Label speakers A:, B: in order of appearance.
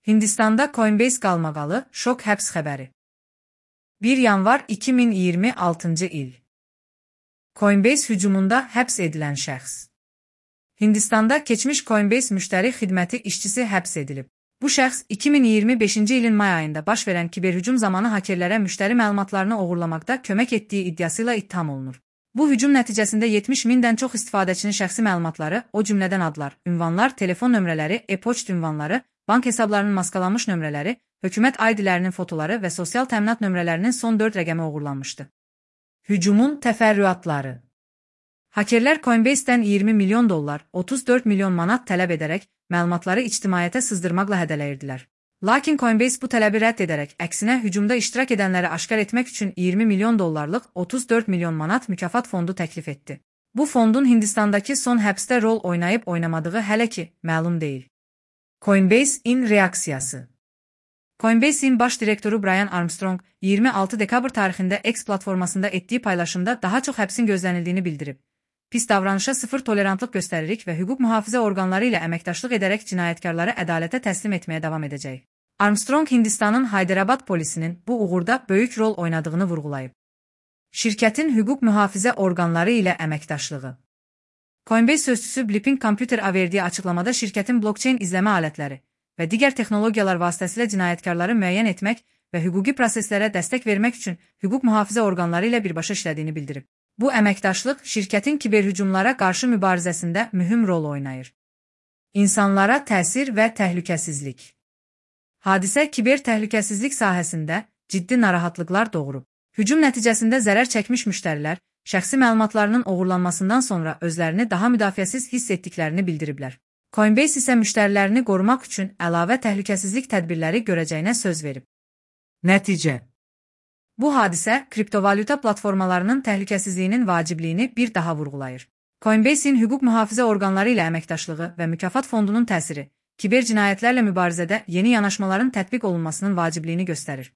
A: Hindistanda Coinbase qalmaqalı, şok həbs xəbəri. 1 yanvar 2026-cı il. Coinbase hücumunda həbs edilən şəxs. Hindistanda keçmiş Coinbase müştəri xidməti işçisi həbs edilib. Bu şəxs 2025-ci ilin may ayında baş verən kiberhücum zamanı hakerlərə müştəri məlumatlarını oğurlamaqda kömək etdiyi iddiasıyla ittiham olunur. Bu hücum nəticəsində 70 mindən çox istifadəçinin şəxsi məlumatları, o cümlədən adlar, ünvanlar, telefon nömrələri, e-poçt ünvanları, bank hesablarının maskalanmış nömrələri, hökumət ID-lərinin fotoları və sosial təminat nömrələrinin son 4 rəqəmi oğurlanmışdı. Hücumun təfərrüatları. Hakerlər Coinbase-dən 20 milyon dollar, 34 milyon manat tələb edərək məlumatları ictimaiyyətə sızdırmaqla hədələyirdilər. Lakin Coinbase bu tələbi rədd edərək, əksinə hücumda iştirak edənləri aşkar etmək üçün 20 milyon dollarlıq 34 milyon manat mükafat fondu təklif etdi. Bu fondun Hindistandakı son həbsdə rol oynayıb oynamadığı hələ ki məlum deyil. Coinbase-in reaksiyası. Coinbase-in baş direktoru Brian Armstrong 26 dekabr tarixində X platformasında etdiyi paylaşımda daha çox həbsin gözlənildiyini bildirib. Pis davranışa sıfır tolerantlıq göstəririk və hüquq mühafizə orqanları ilə əməkdaşlıq edərək cinayətkarları ədalətə təslim etməyə davam edəcək. Armstrong Hindistanın Hyderabad polisinin bu uğurda böyük rol oynadığını vurğulayıb. Şirkətin hüquq mühafizə orqanları ilə əməkdaşlığı. Coinbase sözçüsü Blipping Computer-a verdiyi açıqlamada şirkətin blockchain izləmə alətləri və digər texnologiyalar vasitəsilə cinayətkarları müəyyən etmək və hüquqi proseslərə dəstək vermək üçün hüquq mühafizə orqanları ilə birbaşa işlədiyini bildirib. Bu əməkdaşlıq şirkətin kiberhücumlara qarşı mübarizəsində mühüm rol oynayır. İnsanlara təsir və təhlükəsizlik. Hadisə kiber təhlükəsizlik sahəsində ciddi narahatlıqlar doğurub. Hücum nəticəsində zərər çəkmiş müştərilər şəxsi məlumatlarının oğurlanmasından sonra özlərini daha müdafiəsiz hiss etdiklərini bildiriblər. Coinbase isə müştərilərini qorumaq üçün əlavə təhlükəsizlik tədbirləri görəcəyinə söz verib. Nəticə. Bu hadisə kriptovalyuta platformalarının təhlükəsizliyinin vacibliyini bir daha vurğulayır. Coinbase-in hüquq mühafizə orqanları ilə əməkdaşlığı və mükafat fondunun təsiri, kiber cinayətlərlə mübarizədə yeni yanaşmaların tətbiq olunmasının vacibliyini göstərir.